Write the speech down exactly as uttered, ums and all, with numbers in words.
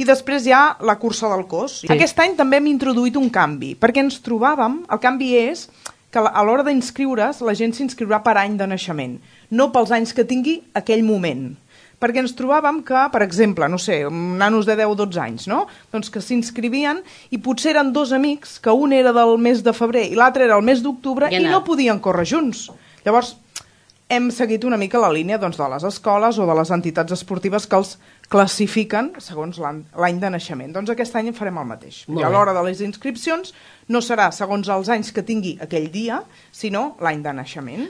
I després hi ha la cursa del cos. Sí. Aquest any també hem introduït un canvi, perquè ens trobàvem, el canvi és que a l'hora d'inscriure's la gent s'inscriurà per any de naixement, no pels anys que tingui aquell moment. Perquè ens trobàvem que, per exemple, no sé, nanos de deu o dotze anys, no? Doncs que s'inscrivien i potser eren dos amics, que un era del mes de febrer i l'altre era el mes d'octubre i no podien córrer junts. Llavors, hem seguit una mica la línia doncs, de les escoles o de les entitats esportives que els classifiquen segons l'any de naixement. Doncs aquest any en farem el mateix. I a l'hora de les inscripcions no serà segons els anys que tingui aquell dia, sinó l'any de naixement.